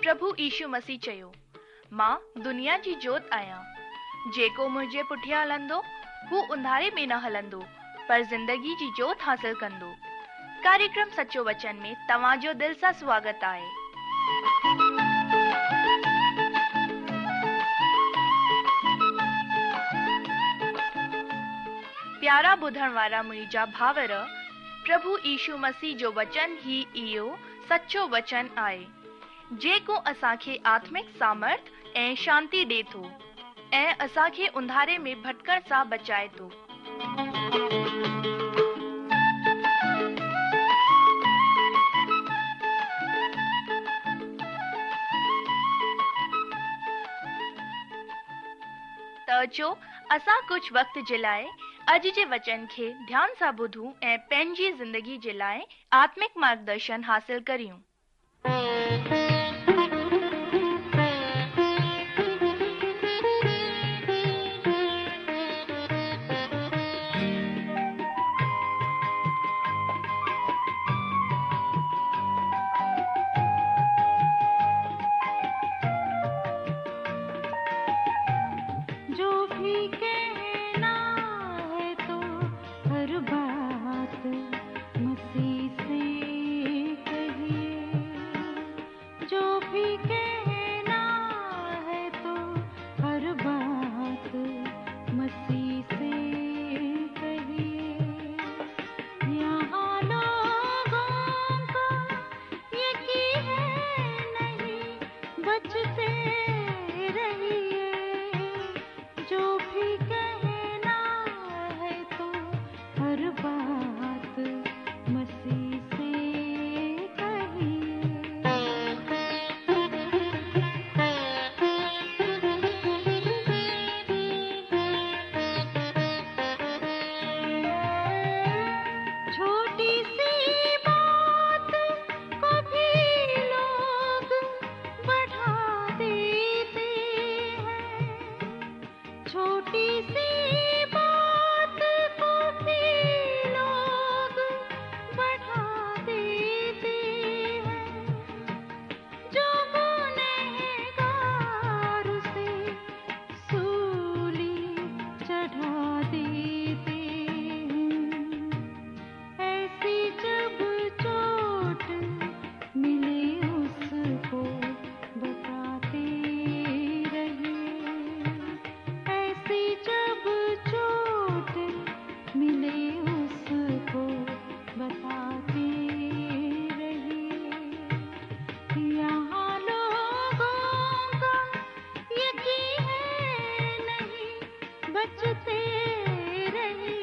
پرڀو يشو مسيح چيو، مان دنيا جي جوت آهيان. جيڪو منهنجي پٺيان هلندو، هو انڌاري ۾ نه هلندو، پر زندگي جي جوت حاصل ڪندو. ڪاريڪرم سچو وچن ۾ توهان جو دل سان سواگت آهي. پيارا ٻڌڻ وارا منهنجا ڀائر، پرڀو يشو مسيح جو وچن ئي اهو سچو وچن آهي، جيڪو اسان کي آتمڪ سامرٿ ۽ شانتي ڏي ٿو ۽ اسان کي انڌاري ۾ ڀٽڪڻ سان بچائي ٿو. ته اچو اسان ڪجهه وقت جي لاء اڄ جي وچن کي ڌيان سان ٻڌون ۽ پنهنجي زندگي جي لاء آتمڪ مارگدرشن حاصل ڪريون. جو ڀي ڪهنا هي تو هر بات مسيح سي ڪهيي جو ڀي ڪهنا هي تو هر بات مسيح سي ڪهيي يهان لوگون ڪو يقين هي نهين بچتي رهيي جو ڀي ڪهنا هي تو هر بات مسيح سي ڪهيي. ڇوٽي سي بات ڪو ڀي لوگ بڙها ديتي هين ڇوٽي سي بات ڪو ڀي لوگ بڙها ديتي هين جو گنهگار اسي سولي چڙها ديتي هين ايسي جب چوٽ ملي اس ڪو بتاتي رهيي ايسي جب چوٽ ملي اس ڪو بتاتي رهيي يهان لوگون ڪا يقين هي نهين بچتي رهيي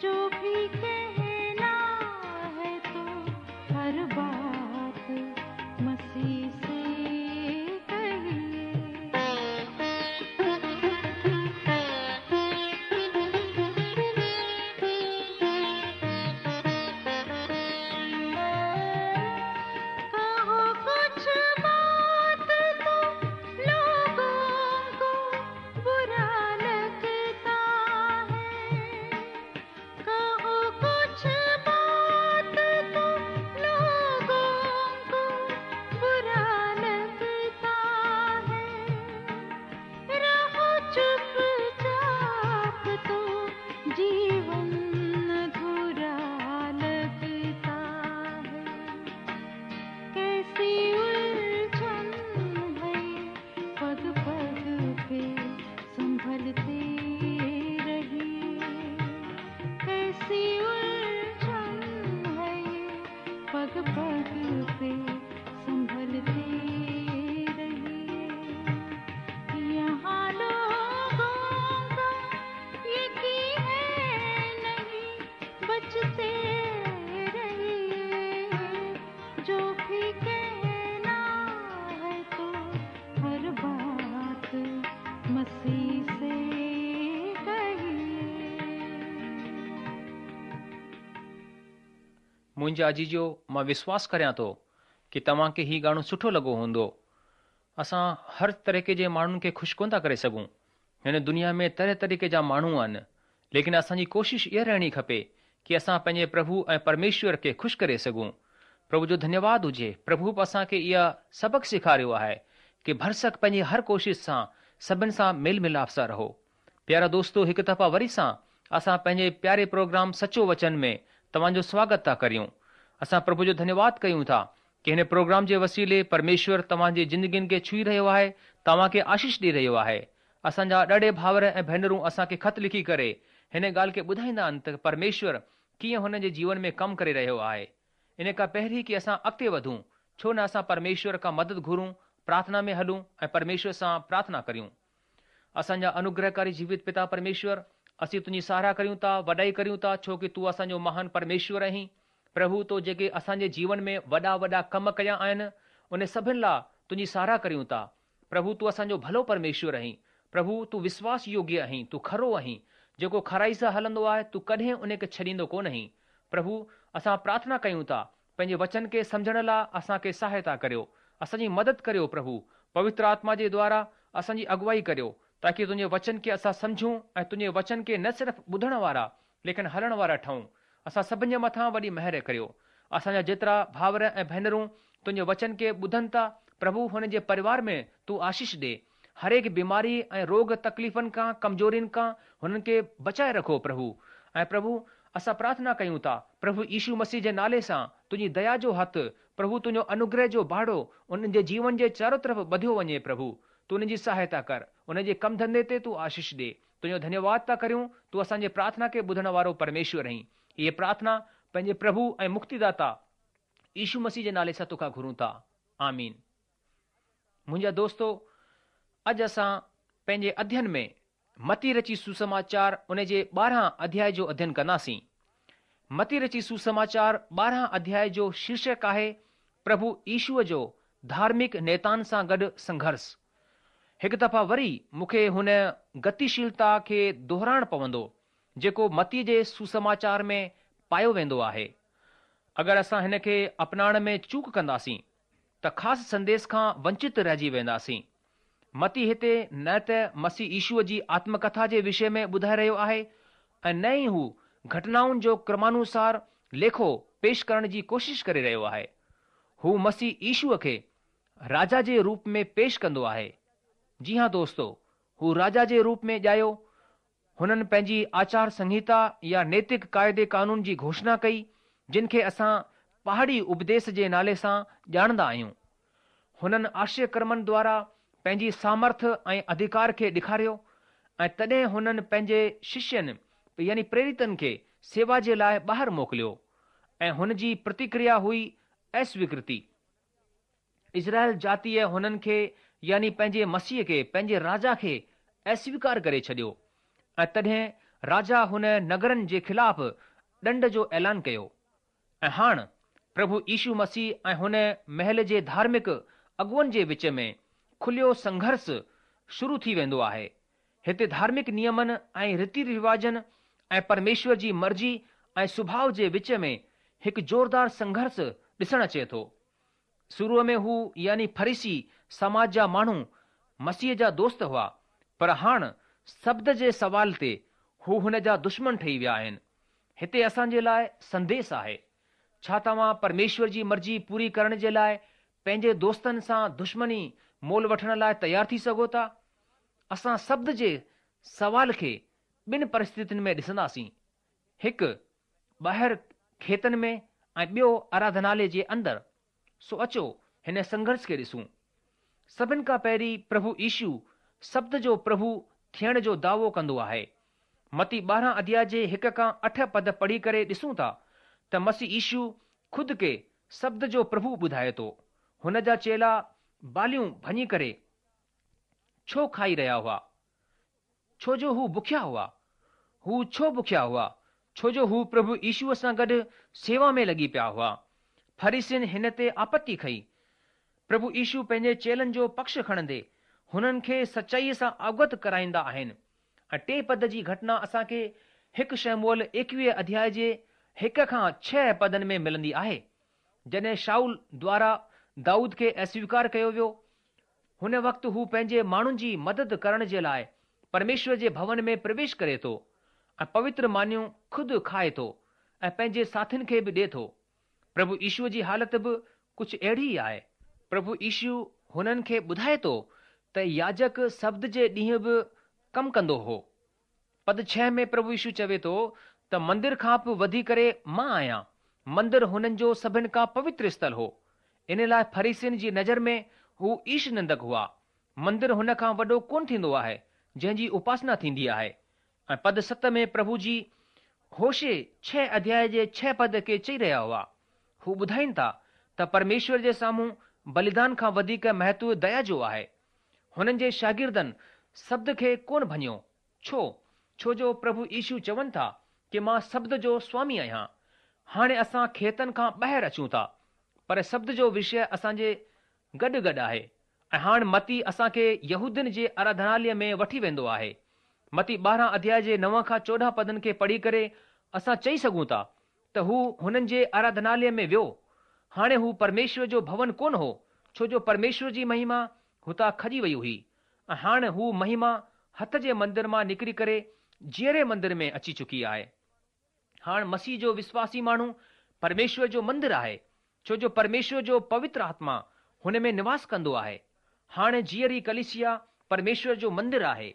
جو ڀي ڪهنا هي تو هر بات مسيح سي ڪهيي. ڪهو ڪڇ بات تو لوگون ڪو برا لگتا هي ڪهو ڪڇ بات تو لوگون ڪو برا لگتا هي رهو چپ چاپ تو جيون اڌورا لگتا هي ڪيسي الجهن هي پگ پگ پي سنڀلتي رهيي ڪيسي الجهن هي پگ پگ پي سنڀلتي رهيي يهان لوگون ڪا يقين هي نهين بچتي رهيي جو ڀي ڪهنا هي تو هر بات مسيح سي ڪهيي. منهنجا عزيزو مان وشواس ڪريان ٿو ڪي توهان کي هي گانو سٺو لڳو هوندو. اسان هر طريقي جي ماڻهن کي خوش ڪونه ٿا ڪري سگهون. هن دنيا ۾ طرح طريقي جا ماڻهو آهن، ليڪن اسان جي ڪوشش اها رهڻي کپي ڪي اسان پنهنجي پرڀو ۽ پرميشور کي خوش ڪري سگهون. پرڀو جو ڌنيواد هجي، پرڀو به اسان کي اها سبق سيکاريو آهي ڪي ڀرسڪ پنهنجي هر ڪوشش سان سڀن سان ميل ملاپ سان رهو. پيارا دوستو هڪ دفعا وري سان اسان پنهنجي پياري پروگرام سچو وچن ۾ توهان جو سواگت ٿا ڪريون. اسان پرڀو جو ڌنيواد ڪيون ٿا ڪي هن پروگرام جي وسيلي پرميشور توهان جي زندگين کي ڇهي رهيو آهي، توهان کي آشيش ڏئي رهيو آهي. اسان جا ڏاڍي ڀائر ۽ ڀينرون اسان کي خط لکي ڪري هن ڳالهه کي ٻڌائيندا آهن ته پرميشور ڪيئن هنن جي جيون ۾ ڪم ڪري رهيو آهي. ان کان پهرين ڪي اسان اڳتي وڌون، ڇو نه اسان پرميشور کان مدد گهرون، پرارٿنا ۾ هلون ۽ پرميشور سان پرارٿنا ڪريون. اسان جا انوگرهڪاري جيوت پتا پرميشور، اسين تنهنجي ساراهه ڪريون ٿا، وڏائي ڪريون ٿا، ڇو ڪي تون اسان جو مهان پرميشور آهين. پرڀو تو جيڪي اسان جي جيون ۾ وڏا وڏا ڪم ڪيا آهن، ان سڀن لاء تنهنجي ساراهه ڪريون ٿا. پرڀو تون اسان جو ڀلو پرميشور آهين. پرڀو تون وشواس يوگيه آهين، تون کرو آهين. جيڪو کرائي سان هلندو آهي، تون ڪڏهن ان کي ڇڏيندو ڪونه آهين. پرڀو اسان پرارٿنا ڪيون ٿا، پنهنجي وچن کي سمجهڻ لاء اسان کي سهائتا ڪريو. اسان جي مدد ڪريو پرڀو. پوتر آتما جي دوارا اسان جي اڳوائي ڪريو، تاڪي تنهنجي وچن کي اسان سمجهون ۽ تنهنجي وچن کي نه صرف ٻڌڻ وارا ليڪن هلڻ وارا ٺهون. اسان سڀن جي مٿان وڏي مهر ڪريو. اسان جا جيترا ڀائر ۽ ڀينرون تنهنجي وچن کي ٻڌن ٿا، پرڀو هنن جي پريوار ۾ تون آشيش ڏي. هرهڪ بيماري ۽ روڳ تڪليفن کان، ڪمزورين کان هنن کي بچائي رکو پرڀو. ۽ پرڀو اسان پرارٿنا ڪيون ٿا، پرڀو يشو مسيح جي نالي سان تنهنجي ديا جو هٿ، پرڀو تنهنجو انوگره جو باڙو انهن جي جيون جي چارو طرف ٻڌيو وڃي پرڀو. تون انهن جي سهائتا ڪر. انهن جي ڪم ڌنڌي تي تون آشيش ڏي. تنهنجو ڌنيواد ٿا ڪريون، تون اسان جي پرارٿنا کي ٻڌڻ وارو پرميشور آهين. هيء پرارٿنا پنهنجي پرڀو ۽ مڪتيداتا يشو مسيح جي نالي سان توکان گهرون ٿا. آمين. منهنجا دوستو، اڄ اسان پنهنجي اڌين ۾ متي رچي سوسماچار ان جي 12 اڌياء جو اڌين ڪنداسين. متي رچي سوسماچار 12 اڌياء جو شيرشڪ آهي پرڀو يشوء جو ڌارمڪ نيتائن سان گڏ سنگهرس. هڪ دفعا وري مون کي هن گتيشيلتا کي دهرائڻ پوندو، جيڪو متي جي سوسماچار ۾ پايو ويندو آهي. اگر اسان هن کي اپنائڻ ۾ چوڪ ڪنداسين، ته خاص سنديس کان ونچت رهجي وينداسين. متي هتي نه ته مسيح يشوء جي آتم ڪٿا جي وشي ۾ ٻڌائي رهيو آهي ۽ نه ئي هو گهٽنائن جو ڪرمانوسار ليکو پيش ڪرڻ جي ڪوشش ڪري رهيو آهي. هو مسيح يشوء کي راجا جي روپ ۾ پيش ڪندو آهي. جي ها دوستو، هو راجا جي روپ ۾ ڄايو. هنن پنهنجي آچار سنهتا يا نيتڪ قاعدي قانون جي گهوشنا ڪئي، جن کي اسان پهاڙي اپديس جي نالي سان ڄاڻندا آهيون. هنن آشچريه ڪرمن دوارا پنهنجي سامرٿ ۽ اڌڪار کي ڏيکاريو ۽ تڏهن هنن پنهنجي ششين يعني پريريتن کي سيوا جي لاء ٻاهر موڪليو ۽ هن جي پرتڪريا هئي اسويڪرتي. اسرائيل جاتيء هنن کي يعني پنهنجي مسيح کي، پنهنجي راجا کي اسويڪار ڪري ڇڏيو ۽ تڏهن راجا هن نگرن جي خلاف ڏنڊ جو اعلان ڪيو. ۽ هاڻ پرڀو يشو مسيح ۽ هن مهل جي ڌارمڪ اڳواڻن جي وچ ۾ کليو سنگهرس شروع ٿي ويندو آهي. هتي ڌارمڪ نيمن ۽ ريتي رواجن ۽ پرميشور جي مرضي ۽ سڀاء جي وچ ۾ هڪ زوردار سنگهرس ڏسڻ اچي ٿو. شروع ۾ هو يعني فريسي سماج جا ماڻهو مسيح جا دوست هئا، پر هاڻ سبت جي سوال تي هو هن جا دشمن ٺهي ويا آهن. هتي اسان جي لاء سنديس آهي. ڇا توهان پرميشور جي مرضي پوري ڪرڻ جي لاء پنهنجي دوستن سان دشمني مول وٺڻ لاء تيار ٿي سگهو ٿا؟ اسان سبت جي سوال کي ٻن پرسٿتين ۾ ڏسنداسين، هڪ ٻاهر کيتن ۾ ۽ ٻيو آراڌنالي جي اندر. سو اچو هن سنگهرش کي ڏسون. سڀن کان پهرين پرڀو يشو سبت جو پرڀو ٿيڻ جو دعوو ڪندو آهي. متي 12 اڌياء جي هڪ کان اٺ پد پڙهي ڪري ڏسون ٿا ته مسيح يشو خود کي سبت جو پرڀو ٻڌائي ٿو. هن جا چيلا باليون ڀڃي ڪري ڇو کائي رهيا هئا؟ ڇو جو هو بکيا هئا. هو ڇو بکيا هئا؟ ڇو جو هو پرڀو يشوء سان گڏ سيوا ۾ لڳي پيا هئا. فريسين هن تي آپتي کنئي. پرڀو يشو پنهنجي چيلن جو پڪش کڻندي هنن کي سچائيء سان اوگت ڪرائيندا آهن ۽ ٽي پد جي گهٽنا اسان کي هڪ شموئيل ايڪويهه اڌياء جي هڪ کان ڇهه پدن ۾ ملندي آهي. جڏهن شائول دوارا دائود کي اسويڪار ڪيو ويو هن وقت هو پنهنجي ماڻهن جي مدد ڪرڻ جي لاء پرميشور جي ڀون ۾ پرويش ڪري ٿو ۽ پوتر مانيون خود کائي ٿو ۽ پنهنجي ساٿين کي به ڏي ٿو. پرڀو يشوء جي حالت به ڪجهه اهڙي ئي آهي. پرڀو يشو هنن کي ٻڌائي ٿو ته ياجڪ سبت جي ڏينهن به ڪم ڪندو هو. پد ڇهه ۾ پرڀو يشو چوي ٿو ته مندر کان به وڌي ڪري مان آهيان. مندر هنن جو سڀن کان پوتر اسٿل هو. ان لاء فريسين جي نظر ۾ هو ايش نندڪ هئا. مندر هن کان وڏو ڪونه ٿيندو آهي جنهن جي اپاسنا ٿيندي آهي. ۽ پد ست ۾ پرڀو جي هوشع ڇهه اڌياء جي ڇهه پد کي چئي رهيا هئا. هو ٻڌائين ٿا ته پرميشور جي سامهون بليدان کان وڌيڪ مهتو ديا جو آهي. هنن جي شاگردن سبت کي ڪونه ڀڃيو. ڇو؟ ڇو جو پرڀو يشو چون ٿا ڪي مان سبت جو سوامي آهيان. هاڻي اسان کيتن کان ٻاهر اچون ٿا. پر سبت جو وشيه اسان جي گڏ گڏ آهي ۽ هاڻ متي اسان کي يهودين جي آراڌناليه ۾ وٺي ويندو آهي. متي 12 اڌياء جي 9 کان 14 پدن کي پڙهي ڪري اسان چئي سگهون ٿا ته هو هنن جي آراڌناليه ۾ ويو. هاڻي هو پرميشور جو ڀون ڪونه هو، ڇو جو پرميشور جي مهما هتان کڄي وئي هئي ۽ هاڻ هو مهما هٿ جي مندر مان نڪري ڪري جيئري مندر ۾ اچي چڪي آهي. هاڻ مسيح جو وسواسي ماڻهو پرميشور جو مندر آهي، ڇو جو پرميشور جو پوتر آتما هن ۾ نواس ڪندو آهي. هاڻ جيئري ڪليسيا پرميشور جو مندر آهي.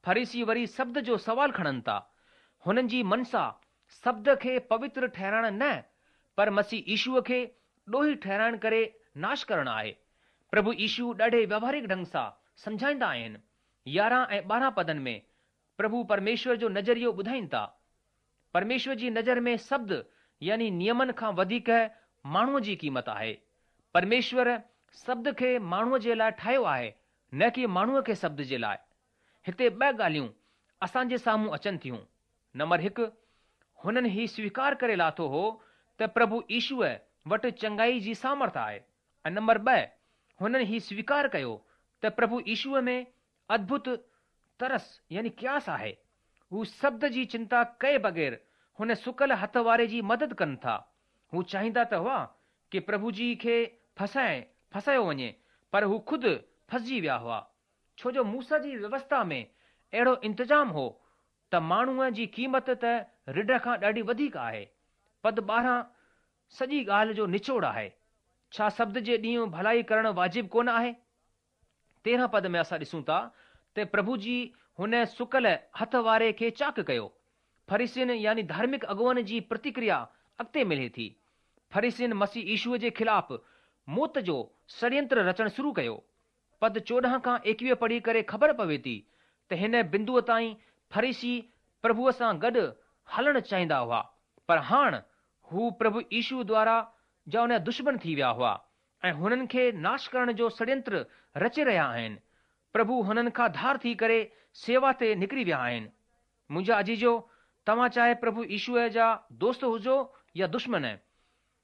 فريسي وري سبت جو سوال کڻن ٿا. هنن جي منسا سبت کي پوتر ٺهرائڻ نه، پر مسيح يشوء کي ڏوهي ٺهرائڻ ڪري ناش ڪرڻ آهي. پرڀو يشو ڏاڍي ويوهارڪ ڍنگ سان سمجهائيندا آهن. 11 ۽ 12 پدن ۾ پرڀو پرميشور جو نظريو ٻڌائين ٿا. پرميشور جي نظر ۾ سبت يعني نيمن کان وڌيڪ ماڻهوء جي قيمت آهي. پرميشور سبت کي ماڻهوء جي لاء ٺاهيو آهي، نه ڪي ماڻهوء کي سبت جي لاء. هتي ٻه ڳالهيون اسان جي سامهون اچن ٿيون. نمبر هڪ، هنن هي سويڪار ڪري لاٿو هو ته پرڀو يشوء وٽ چڱائي جي سامرٿ آهي ۽ نمبر ٻه، هنن هي سويڪار ڪيو ته پرڀو يشوء ۾ ادڀت ترس يعني قياس آهي. هو سبت جي چنتا ڪئي بغير هن سڪل هٿ واري جي مدد ڪن ٿا. هو چاهيندا ته هئا ڪي پرڀو جي کي ڦسائي ڦسايو وڃي پر هو خود ڦسجي ويا هئا. ڇو جو موسيٰ جي ويوسٿا ۾ اهڙو انتظام هو ته ماڻهوء جي قيمت ته رڍ کان ڏاڍي وڌيڪ آهي. پد 12 سڄي ڳالهه جو نچوڙ آهي. ڇا سبت جي ڏينهن ڀلائي ڪرڻ واجب ڪونه آهي؟ 13 پد ۾ اسان ڏسون ٿا ته پرڀو جي هن سڪل هٿ واري کي چاڪ ڪيو. فريسين يعني ڌارمڪ اڳواڻن جي پرتڪريا اڳتي ملي ٿي. فريسين مسيح يشوء جي خلاف موت جو سڙينتر رچڻ شروع ڪيو. پد 14 کان 21 پڙهي ڪري خبر پوي ٿي ته هن بندوء تائين فريسي پرڀوء سان گڏ هلڻ چاهيندا هئا پر هاڻ هو پرڀو يشوء دوارا جا ان جا دشمن ٿي ويا هئا ۽ هنن کي ناش ڪرڻ جو سڙينتر رچي رهيا آهن. پرڀو هنن کان ڌار ٿي ڪري سيوا تي نڪري ويا آهن. منهنجا عزيزو، توهان چاهي پرڀو يشوء جا دوست هجو يا دشمن،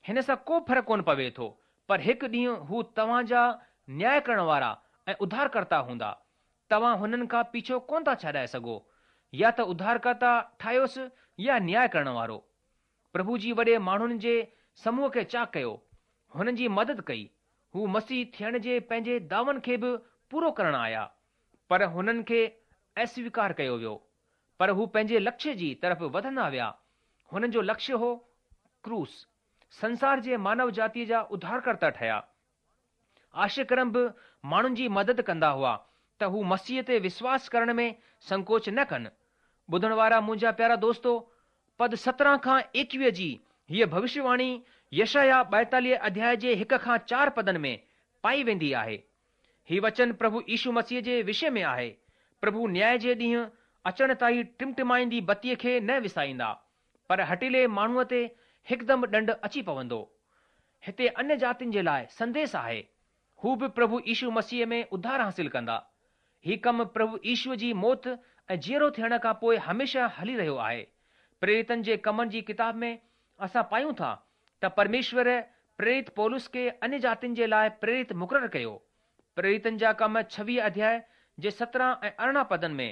هن سان ڪو فرق ڪونه پوي ٿو، پر هڪ ڏينهن هو توهان جا نياء ڪرڻ وارا ۽ اڌارڪرتا هوندا. توهان هنن کان پيڇو ڪونه ٿا ڇڏائي سگهو. يا ته اڌارڪرتا ٺاهيوس يا نياء ڪرڻ وارو. پرڀو جي وڏي ماڻهن جي سموهه کي چاڪ ڪيو، هنن جي مدد ڪئي. هو مسيح ٿيڻ جي پنهنجي دعون کي به پورو ڪرڻ آيا، پر هنن کي اسويڪار ڪيو ويو. پر هو پنهنجي لڪشيه جي طرف وڌندا ويا. هنن جو لڪشيه هو ڪروس. سنسار جي مانو جاتيء جا اڌارڪرتا ٺهيا. آشچريه ڪرم به ماڻهن جي مدد ڪندا هئا ته هو مسيح تي وشواس ڪرڻ ۾ سنڪوچ نه ڪن. ٻڌڻ وارا منهنجا پيارا دوستو، پد 17 کان 21 جي هيء ڀوشيواڻي يشعيا 42 اڌياء جي هڪ کان چار پدن ۾ پائي ويندي آهي. هي وچن پرڀو يشو مسيح جي وشي ۾ آهي. پرڀو نياء جي ڏينهن اچڻ تائين ٽمٽمائيندي بتيء کي نه وسائيندا، پر هٺيلي ماڻهوء تي هڪدم ڏنڊ اچي پوندو. هتي انيه جاتين جي لاء سنديس آهي. هو به پرڀو يشو مسيح ۾ اڌار حاصل ڪندا. هي ڪم پرڀو يشو جي موت ۽ جيئرو ٿيڻ کان پوء هميشه هلي رهيو آهي. پريريتن جي ڪمن جي ڪتاب ۾ اسان پايون ٿا ته پرميشور پريريت پولس کي انيه جاتين جي لاء پريريت مقرر ڪيو. پريريتن جا ڪم 26 اڌياء جي 17 ۽ 18 پدن ۾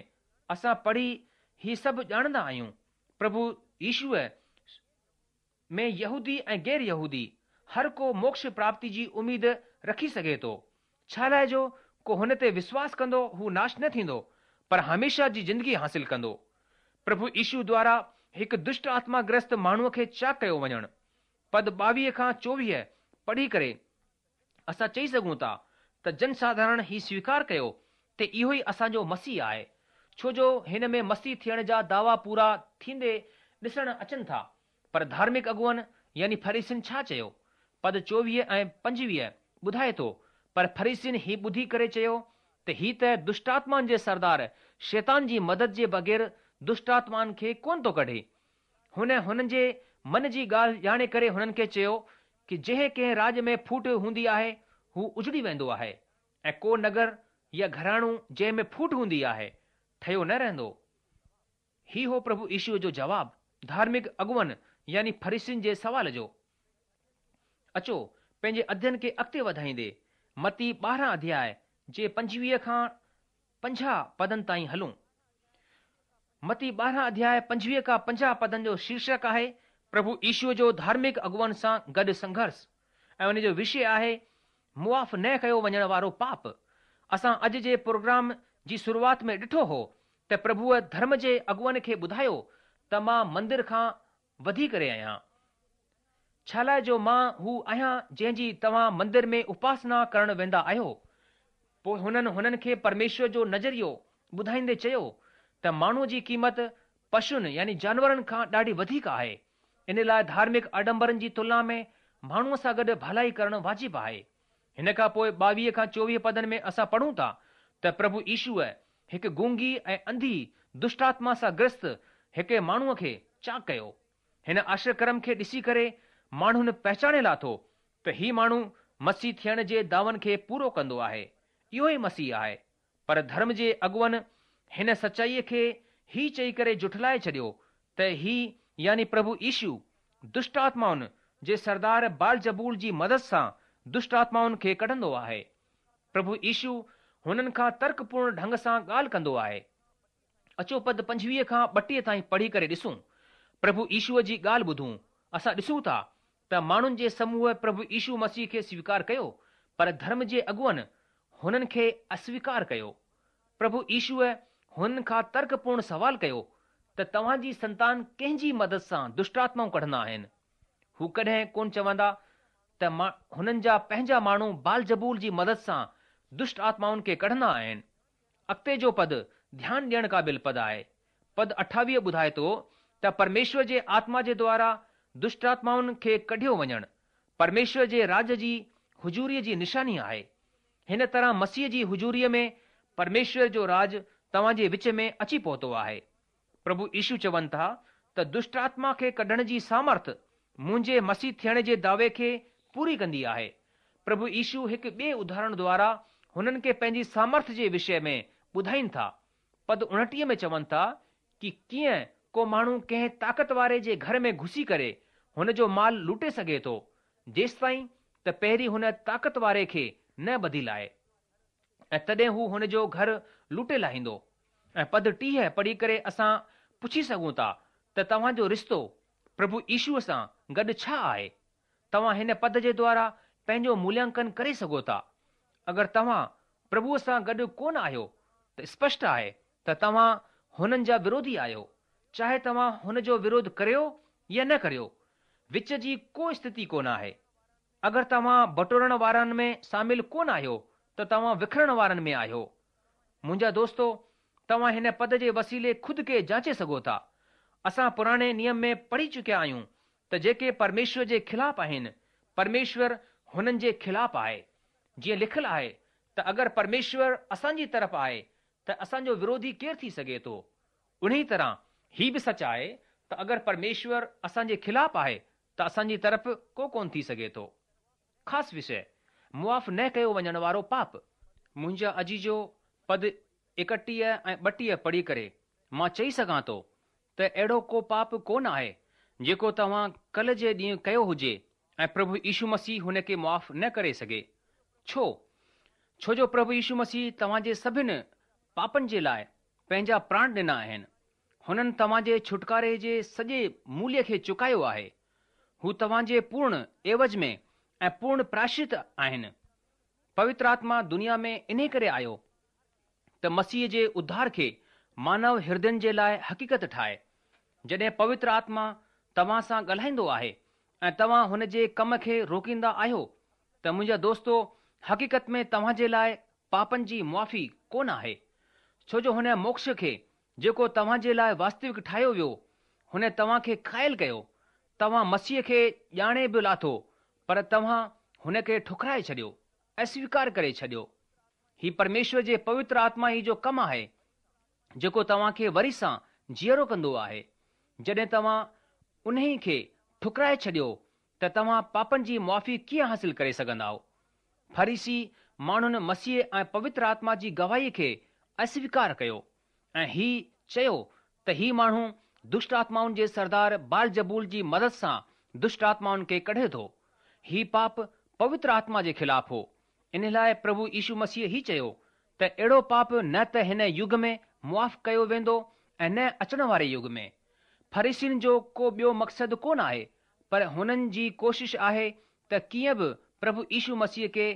اسان پڙهي هي سڀ ڄاڻندا آهيون. پرڀو يشوء ۾ يهودي ۽ غير يهودي، هر ڪو موڪش پراپتي جي اميد رکي سگهي ٿو، ڇالاء جو ڪو هن تي وشواس ڪندو هو ناش نه ٿيندو، پر هميشه جي زندگي حاصل ڪندو. پرڀو يشو دوارا هڪ دشٽ آتما گرست ماڻهوء کي چاڪ ڪيو وڃڻ. پد 22 کان 24 پڙهي ڪري اسان چئي سگهون ٿا ته جنساڌارڻ هي سويڪار ڪيو ته اهو ئي اسان جو مسيح آهي، ڇو جو هن ۾ مسيح ٿيڻ جا دعوا پورا ٿيندي ڏسڻ اچن ٿا. پر ڌارمڪ اڳواڻن يعني فريسين ڇا چيو؟ پد 24 ۽ 25 ٻڌائي ٿو، پر فريسين هي ٻڌي ڪري چيو ته هي ته دشٽآتمائن جي سردار شيطان جي مدد جي بغير دشٽآتمائن کي ڪونه ٿو ڪڍي. هن هنن جي من جي ڳالهه ڄاڻي ڪري هنن کي چيو ڪي جنهن ڪنهن راڄ ۾ ڦوٽ هوندي آهي هو اجڙي ويندو آهي ۽ ڪو نگر يا گهراڻو جنهن ۾ ڦوٽ هوندي آهي ٺهيو نه رهندو. هي هو پرڀو يشوء جو جواب ڌارمڪ اڳواڻن يعني فريسين جي سوال جو. اچو پنهنجي اڌين کي اڳتي وڌائيندي متي 12 اڌياء جي 25 کان 50 پدن تائين هلون. متي 12 اڌياء 25 کان 50 پدن جو شيرشڪ آهي پرڀو يشوء جو ڌارمڪ اڳواڻن سان گڏ سنگهرش ۽ ان جو وشي آهي معاف نه ڪيو وڃڻ وارو پاپ. اسان اڄ جي پروگرام جي شروعات ۾ ڏٺو هو ته پرڀوء ڌرم جي اڳواڻن کي ٻڌايو ته مان مندر کان وڌي ڪري آهيان. ڇالاء جو مان هو آهيان جنهن جي توهان مندر ۾ اپاسنا ڪرڻ ويندا آهيو. پوء هنن هنن کي پرميشور جو نظريو ٻڌائيندي چيو ته ماڻهوء جي قيمت پشن يعني جانورن کان ڏاڍي وڌيڪ آهي، ان لاء ڌارمڪ آڏمبرن جي تلنا ۾ ماڻهوء سان گڏ ڀلائي ڪرڻ واجب آهي. هن کان پوء 22 کان 24 پدن ۾ اسان پڙهون ٿا ته پرڀو يشوء هڪ گونگي ۽ انڌي دشٽآتما سان گرست هڪ ماڻهوء کي چاڪ ڪيو. هن آشچريڪرم کي ڏسي ڪري ماڻهن پهچاڻي لاٿو ته هي ماڻهو مسيح ٿيڻ جي دعون کي پورو ڪندو آهي، اهو ئي مسيح آهي. پر ڌرم جي اڳواڻن هن سچائيء کي هي چئي ڪري جهٺلائي ڇڏيو ته هي يعني پرڀو يشو دشٽ آتمائن جي سردار بعلزبول جي مدد سان دشٽ آتمائن کي ڪڍندو آهي. پرڀو يشو هنن کان ترڪپورڻ ڍنگ سان ڳالهه ڪندو آهي. اچو پد 25 کان 32 تائين پڙهي ڪري ڏسون. پرڀو يشوء جي ڳالهه ٻڌون. اسان ڏسون ٿا ته ماڻهن جي سموهه پرڀو يشو مسيح کي سويڪار ڪيو، پر ڌرم جي اڳواڻن هنن کي اسويڪار ڪيو. پرڀو يشوء هنن کان ترڪپورڻ سوال ڪيو ته توهان جي سنتان ڪنهن جي مدد سان دشٽآتمائون ڪڍندا آهن؟ هو ڪڏهن ڪونه چوندا ته هنن جا پنهنجا ماڻهو بعلزبول جي مدد سان دشٽ آتمائن کي ڪڍندا آهن. اڳتي جو پد ڌيان ڏيڻ قابل پد آهي. پد 28 ٻڌائي ٿو ته پرميشور جي آتما جي دوارا دشٽآتمائن کي ڪڍيو وڃڻ پرميشور جي راڄ جي حضوريء جي نشاني آهي. هن طرح مسيح جي حضوريء ۾ پرميشور جو راڄ توهان جي وچ ۾ اچي پهتو آهي. پرڀو يشو چون ٿا ته دشٽآتما کي ڪڍڻ جي سامرٿ منهنجي مسيح ٿيڻ جي دعوي کي پوري ڪندي آهي. پرڀو يشو هڪ ٻئي اداهرڻ دوارا هنن کي پنهنجي سامرٿ جي وشي ۾ ٻڌائين ٿا. پد 29 ۾ چون ٿا ڪي ڪيئن ڪو ماڻهو ڪنهن طاقت واري جي گهر ۾ گهسي ڪري هن جو مال لوٽي سگهي ٿو، جيستائين ته پهرين هن طاقت واري کي نه ٻڌي لاهي. ۽ تڏهن هو هن جو گهر لوٽي لاهيندو. ۽ پد 30 پڙهي ڪري اسان پڇي سگهون ٿا ته توهان جو رشتو پرڀو يشوء سان گڏ ڇا آهي؟ توهان هن پد جي دوارا پنهنجو موليانڪن ڪري سگهو ٿا. اگر توهان پرڀوء سان گڏ ڪونه آهيو ته اسپشٽ آهي ته توهان هنن جا وروڌي آهيو، چاهي توهان هن جو وروڌ ڪريو يا نه ڪريو، وچ جي ڪو اسٿتي ڪونه آهي. اگر توهان بٽورڻ وارن ۾ شامل ڪونه آهيو ته توهان وکرڻ وارن ۾ آهيو. منهنجا دوستو، توهان هن پد جي وسيلي خود کي جانچي سگهو ٿا. اسان پراڻي نيم ۾ پڙهي چڪيا آهيون ته جيڪي پرميشور جي خلاف آهن، پرميشور هنن جي خلاف آهي. جيئن لکيل آهي ته اگر پرميشور اسان جي طرف آهي ته اسان جو وروڌي ڪير ٿي سگهي ٿو؟ انهيء طرح هي به سچ آهي ته اگر پرميشور اسان جي خلاف آهي ته اسان جي طرف ڪو ڪونه ٿي سگهي ٿو. خاص وشيه، معاف نه ڪيو وڃڻ وارو پاپ. منهنجا عزيزو پد 31 ۽ 32 پڙهي ڪري مان چئي سگهان ٿو ته اهڙو ڪو پاپ ڪونه آهي جيڪو توهان ڪلهه جي ڏينهن ڪيو هجي ۽ پرڀو يشو مسيح هن کي معاف نه ڪري سگهي. ڇو؟ ڇو جو پرڀو يشو مسيح توهان جي سڀن پاپن جي لاء پنهنجا پراڻ ڏنا آهن. هنن توهان جي ڇوٽڪاري جي سڄي موليه کي چڪايو آهي. هو توهان جي پورڻ عيوض ۾ ۽ پورڻ پراشچت آهن. پوتر آتما دنيا ۾ انهي ڪري آيو ته مسيح جي اڌار کي مانو هردين جي لاء حقيقت ٺاهي. جڏهن پوتر آتما توهان سان ڳالهائيندو آهي ۽ توهان هن جي ڪم کي روڪيندا آهيو ته منهنجا دوستو حقيقت ۾ توهان جي لاء پاپن جي معافي ڪونه آهي. ڇو جو هن موڪش کي جيڪو توهان جي لاء واستوڪ ٺاهيو ويو، هن توهان کي گهائل ڪيو. توهان مسيح کي ڄاڻي به لاٿو پر توهان هن کي ٺڪرائي ڇڏيو، اسويڪار ڪري ڇڏيو. هي پرميشور جي پوتر آتما ئي جو ڪم آهي جيڪو توهان کي وري سان جيئرو ڪندو آهي. جڏهن توهان انهي کي ٺڪرائي ڇڏيو ته توهان پاپن جي معافي ڪيئن حاصل ڪري سگهندائو؟ فريسي ماڻهن مسيح ۽ پوتر آتما جي گواهي کي اسويڪار ڪيو ۽ هي چيو ته هي ماڻهو دشٽ آتمائن جي سردار بعلزبول جي مدد سان دشٽ آتمائن کي ڪڍي ٿو. هي پاپ پوتر آتما جي خلاف هو. ان لاء پرڀو يشو مسيح هي چيو ته اهڙو پاپ نه ته هن يگ ۾ معاف ڪيو ويندو ۽ نه اچڻ واري يگ ۾. فريسين جو ڪو ٻيو مقصد ڪونه آهي پر هنن جي ڪوشش آهي ته ڪيئن به پرڀو يشو مسيح کي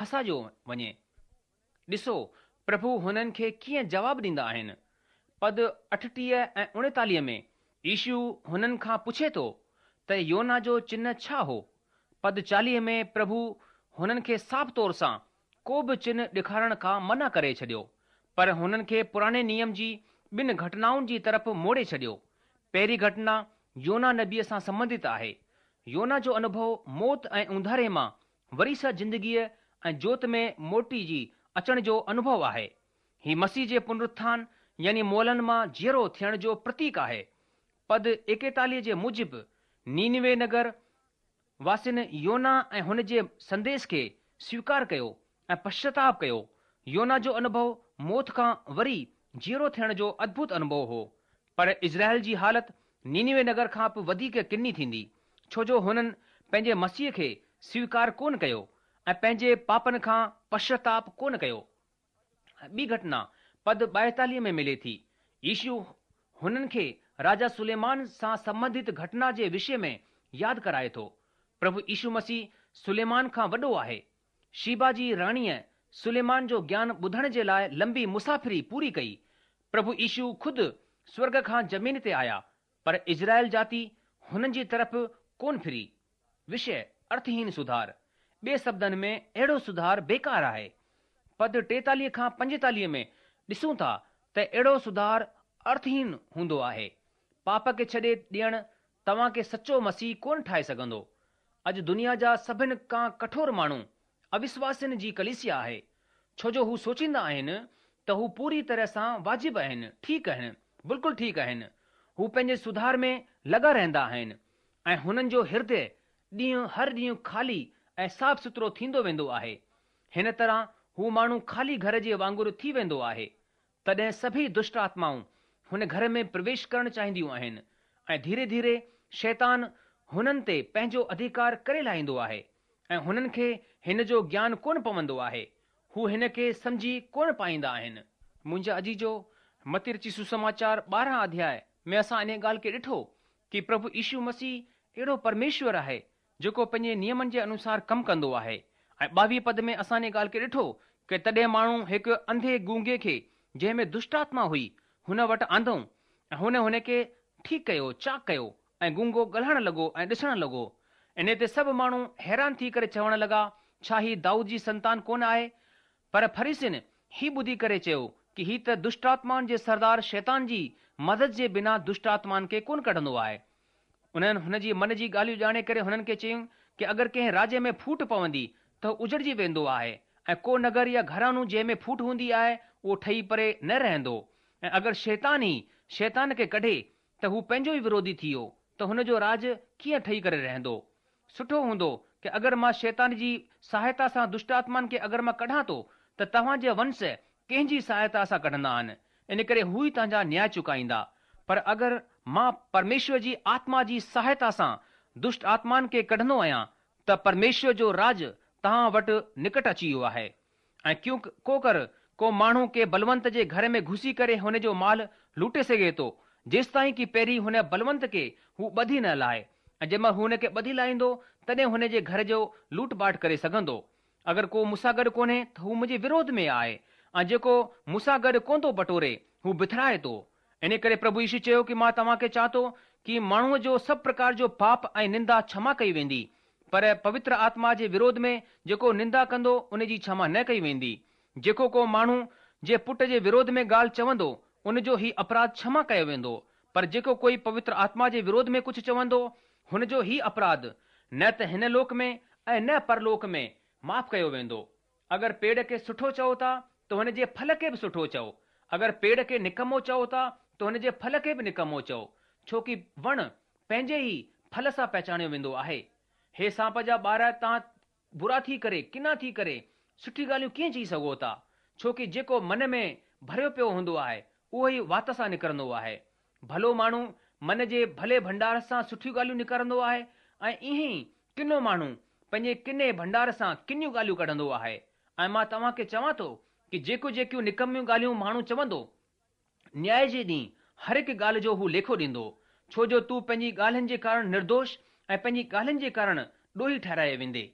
ڦاسايو وڃي. ڏسو پرڀو هنن کي ڪيئن جواب ڏيندا آهن. پد 38 ۽ 39 ۾ يشو هنن کان پڇي ٿو ته يونا جو چنه ڇا هو؟ پد 40 ۾ پرڀو هنن کي صاف طور سان ڪو به چنه ڏيکارڻ کان منع ڪري ڇڏيو، پر هنن کي پراڻي نيم جي ٻن گهٽنائن جي طرف موڙي ڇڏيو. پهرين گهٽنا يونا نبيء سان سنبنڌت آهي. يونا جو انوڀو موت ۽ اونڌاري مان وري سان زندگيء ۽ جوت ۾ موٽي جي اچڻ جو انوڀو آهي. هي مسيح جي پنرٿان يعني مئلن مان جيئرو ٿيڻ جو پرتيڪ آهي. پد 41 جي موجب نينوي نگر واسين يونا ۽ هن جي سنديش کي سويڪار ڪيو ۽ پشچاتاپ ڪيو. يونا جو انوڀو موت کان وري جيئرو ٿيڻ جو ادڀت انوڀو هو. پر اسرائيل جي حالت نينوي نگر کان به وڌيڪ ڪني ٿيندي، ڇو جو هنن پنهنجي مسيح کي سويڪار ڪونه ڪيو ۽ پنهنجي پاپن کان پشچاتاپ ڪونه ڪيو. ٻي گهٽنا پد 42 ۾ ملي ٿي. يشو هنن کي راجا سليمان سان سنبنڌت گهٽنا جي وشي ۾ ياد ڪرائي ٿو. پرڀو يشو مسيح سليمان کان وڏو آهي. شيبا جي راڻيء سليمان جو گيان ٻڌڻ جي لاء لنبي مسافري پوري ڪئي. پرڀو يشو خود سورڳ کان زمين تي آيا، پر اسرائيل جاتي هنن جي طرف ڪونه ڦري. وشيه، ارٿهين سڌار. ٻئي شبدن ۾ اهڙو سڌار بيڪار آهي. پد 43 کان 45 ۾ ڏسون ٿا ته اهڙو سڌار ارٿهين هوندو آهي. پاپ کي ڇڏي ڏيڻ توهان کي سچو مسيحي ڪونه ٺاهي سگهندو. اڄ دنيا جا سڀن کان ڪٺور ماڻهو اوشواسين جي ڪليسيا آهي، ڇو جو هو سوچيندا آهن ته هو پوري طرح سان واجب آهن، ٺيڪ آهن، بلڪل ٺيڪ آهن. هو پنهنجي سڌار ۾ لڳا رهندا آهن ۽ هنن جو هردي ڏينهن هر ڏينهن خالي ۽ صاف سٿرو ٿيندو ويندو آهي. هن طرح هو ماڻهو خالي گهر جي وانگر ٿي ويندو آهي. تڏهن سڀئي دشٽ آتمائون هن گهر ۾ پرويش ڪرڻ چاهينديون آهن ۽ ڌيري ڌيري شيطان هنن تي پنهنجو اڌيڪار ڪري لاهيندو آهي ۽ هنن کي هن جو گيان ڪونه پوندو آهي، هو هن کي سمجهي ڪونه پائيندا آهن. منهنجا عزيزو، متي رچت سوسماچار 12 اڌياء ۾ اسان انهيء ڳالهه کي ڏٺو ڪي پرڀو يشو مسيح اهڙو پرميشور آهي جيڪو پنهنجي نيمن جي انوسار ڪم ڪندو آهي ۽ 22 پد ۾ اسان انهيء ڳالهه کي ڏٺو ڪي تڏهن ماڻهو هڪ انڌي گونگي کي جنهن ۾ دشٽ آتما هئي هن وٽ آندئون ۽ هن هن کي ٺيڪ ڪيو، چاڪ ڪيو ۽ گونگو ڳالهائڻ لڳو ۽ ڏسڻ لڳو. انهي تي سڀ ماڻهو حيران ٿي ڪري چوڻ لڳا، ڇا هي دائود جي سنتان ڪونه آهي؟ پر فريسين هي ٻڌي ڪري چيو ڪي هي ته دشٽآتمائن جي سردار شيطان جي مدد جي بنا دشٽآتمائن کي ڪونه ڪڍندو آهي. انهن هن جي من جي ڳالهيون ڄاڻي ڪري هنن کي چيائون ڪي اگر ڪنهن راڄ ۾ ڦوٽ پوندي ته هو اجڙجي ويندو آهي ۽ ڪو نگر يا گهراڻو جنهن ۾ ڦوٽ هوندي آهي اهو ٺهي پري نه رهندو ۽ اگر شيطان ئي شيطان کي ڪڍي ته هو پنهنجو ئي وروڌي ٿي ويو ته هن جو راڄ ڪيئن ٺهي ڪري رهندو؟ سٺو هوندو ڪي اگر مان شيطان جي سهائتا سان دشٽ آتمائن کي اگر مان ڪڍان ٿو ته توهان جي ونش ڪنهن جي سهائتا سان ڪڍندا آهن، ان ڪري هو ئي توهان جا نياء چڪائيندا. پر اگر مان پرميشور جي آتما جي سهائتا سان دشٽ آتمائن کي ڪڍندو آهيان ته پرميشور جو راڄ توهان وٽ نڪٽ اچي ويو آهي. ۽ ڪيون ڪو ڪر ڪو ماڻهو ڪنهن بلونت جي گهر ۾ گهسي ڪري هن جو مال لوٽي سگهي ٿو، جيستائين ڪي پهرين هن بلونت کي هو ٻڌي نه لاهي، ۽ جنهن مهل هو هن کي ٻڌي لاهيندو، تڏهن هن جي گهر جو لوٽ پاٽ ڪري سگهندو. اگر ڪو مون سان گڏ ڪونهي ته هو منهنجي وروڌ ۾ آهي، ۽ جيڪو مون سان گڏ ڪونه ٿو بٽوري، هو بٿرائي ٿو. انهي ڪري پرڀو يشو چيو ڪي مان توهان کي چوان ٿو ڪي ماڻهوء جو سڀ پرڪار جو پاپ ۽ نندا ڇما ڪئي ويندي، پر پوتر آتما جي وروڌ ۾ جيڪو نندا ڪندو ان جي ڇما نه ڪئي ويندي. جيڪو ڪو ماڻهو جي پٽ جي وروڌ ۾ ڳالهه چوندو ان جو هي اپراڌ ڇما ڪيو ويندو، پر جيڪو ڪوئي پوتر آتما جي وروڌ ۾ ڪجهه چوندو هن جو هي اپراڌ نه ته هن لوڪ ۾ ۽ نه پرلوڪ ۾ معاف ڪيو ويندو. اگر پيڙ کي سٺو چئو ٿا ته هن جي ڦل کي به سٺو چئو، اگر پيڙ کي نڪمو چئو ٿا ته هن جي ڦل کي به نڪمو چئو، ڇو ڪي وڻ پنهنجي ئي ڦل سان پهچاڻيو ويندو آهي. هي سانپ جا ٻار توهان برا ٿي ڪري، ڪنا ٿي ڪري، سٺي ڳالهيون ڪيئن چئي سگهو ٿا؟ ڇو ڪي جيڪو من ۾ ڀريو پيو هوندو آهي، اهو ئي وات سان نڪرندو آهي. ڀلو ماڻهو من جي ڀلي ڀنڊار سان سٺيون ڳالهيون نڪارندو آهي ۽ ائين ئي ڪنو ماڻهو پنهنجي ڪني ڀنڊار سان ڪنيون ڳالهيون ڪڍندو آهي ۽ مان توهان کي چوان ٿو ڪي جيڪو جيڪيون نڪميون ڳالهيون ماڻهو چوندو، نياء جي ڏينهن هر هڪ ڳالهه جو هو ليکو ڏيندو، ڇو جو تون پنهنجي ڳالهين جي ڪارڻ نردوش ۽ پنهنجي ڳالهين جي ڪارڻ ڏوهي ٺهرايو ويندي.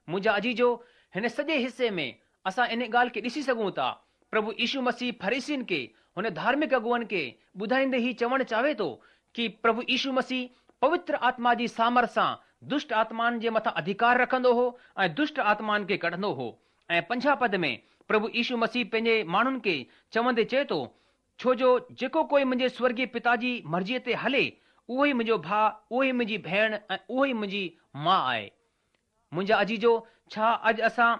منهنجا عزيزو، هن سڄي حصي ۾ اسان ان ڳالهه کي ڏسي سگهون ٿا، پرڀو يشو مسيح فريسين کي، هن ڌارمڪ اڳواڻن کي ٻڌائيندي هي چوڻ چاهي ٿو ڪي پرڀو يشو مسيح پوتر آتما جي سامرٿ سان دشٽ آتمائن جي مٿان اڌيڪار رکندو هو ۽ دشٽ آتمائن کي ڪڍندو هو ۽ 50 پد ۾ پرڀو يشو مسيح پنهنجي ماڻهن کي چوندي چئي ٿو ڇو جو جيڪو ڪوئي منهنجي سورڳي پتا جي مرضيء تي هلي اهو ئي منهنجو ڀاء، اهو ئي منهنجي ڀيڻ ۽ اهو ئي منهنجي ماء آهي. منهنجا عزيزو، ڇا اڄ اسان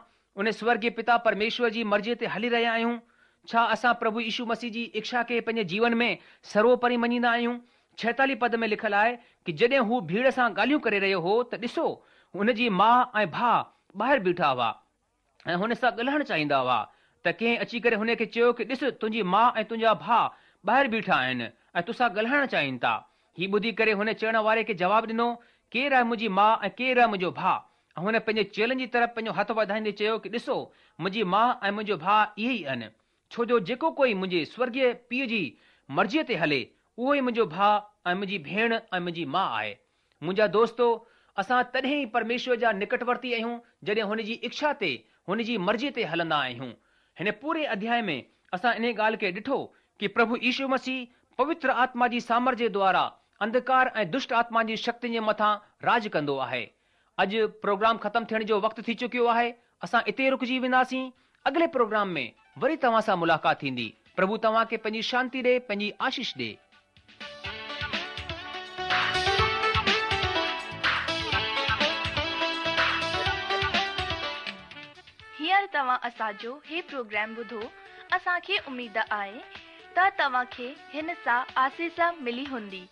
ان سورڳي پتا پرميشور جي مرضيء تي هلي رهيا آهيون؟ ڇا اسان پرڀو يشو مسيح جي اکشا کي پنهنجي جيون ۾ سروپري مڃيندا آهيون؟ 46 پد ۾ لکيل آهي ڪي جڏهن هو ڀيڙ سان ڳالهيون ڪري رهيو هو ته ڏسو، هن جي ماء ۽ ڀاء ٻاهر بيٺا هئا ۽ هن سان ڳالهائڻ چاهيندا هئا ته ڪنهن اچي ڪري هن کي چيو ڪي ڏس تنهنجي ماء ۽ تنهنجا ڀاء ٻاهر بيٺا آهن ۽ توسان ڳالهائڻ چاهين ٿا. هي ٻڌي ڪري هن چوڻ واري کي جواب ڏنو، ڪير آهي منهنجي ماء ۽ ڪير آهي منهنجو ڀاء؟ ۽ هن پنهنجي چيلن جي طرف پنهنجو هٿ وڌائيندي چيو ڪي ڏسو منهنجي ماء ۽ منهنجو ڀاء اهي ئي آهن. ڇو جو جيڪو ڪوئي منهنجي سورڳيه پيء جي مرضيء تي هلي، اهو ئي منهنجو ڀاء ۽ منهنجي ڀيڻ ۽ منهنجي ماء آهي. منهنجا دوستو، اسان تڏهن ئي پرميشور جا نڪٽورتي آهيون جڏهن هن جي اکشا تي، هن جي مرضيء تي هلندا آهيون. هن پوري اڌياء ۾ اسان انهي ڳالهه کي ڏٺو ڪي پرڀو يشو مسيح پوتر آتما جي سامرٿ جي دوارا انڌڪار ۽ دشٽ آتما جي شڪتين جي مٿان راڄ ڪندو آهي. اڄ پروگرام ختم ٿيڻ جو وقت ٿي چڪيو آهي، اسان اتي ئي رڪجي وينداسين، اڳلي پروگرام ۾ وري توهان سان ملاقات ٿيندي، پرڀو توهان کي پنهنجي شانتي ڏي، پنهنجي آشيش ڏي. هينئر توهان اسان جو هي پروگرام ٻڌو، اسان کي اميد آهي ته توهان کي هن سان آسيس ملي هوندي.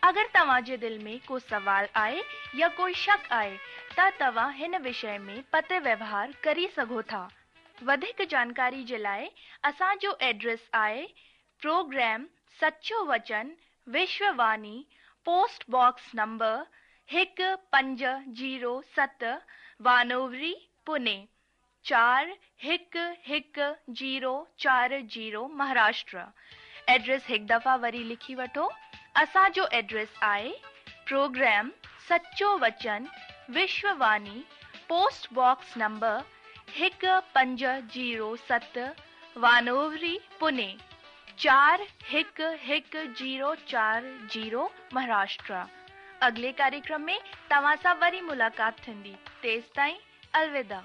اگر توهان جي دل ۾ ڪو سوال آهي يا ڪوئي شڪ آهي ته توهان هن وشي ۾ پتر ويوهار ڪري سگهو ٿا. وڌيڪ جانڪاري جي لاء اسان جو ايڊريس آهي پروگرام سچو وچن Vishwa Vani post box number 1507 Wanowrie Pune 411040 Maharashtra address هڪ دفعا وري لکي وٺو اسان جو ايڊريس آهي پروگرام سچو وچن Vishwa Vani post box number 1507 Wanowrie Pune 411040 Maharashtra اڳلي ڪاريڪرم ۾ توهان سان وري ملاقات ٿيندي تيستائين الوداع.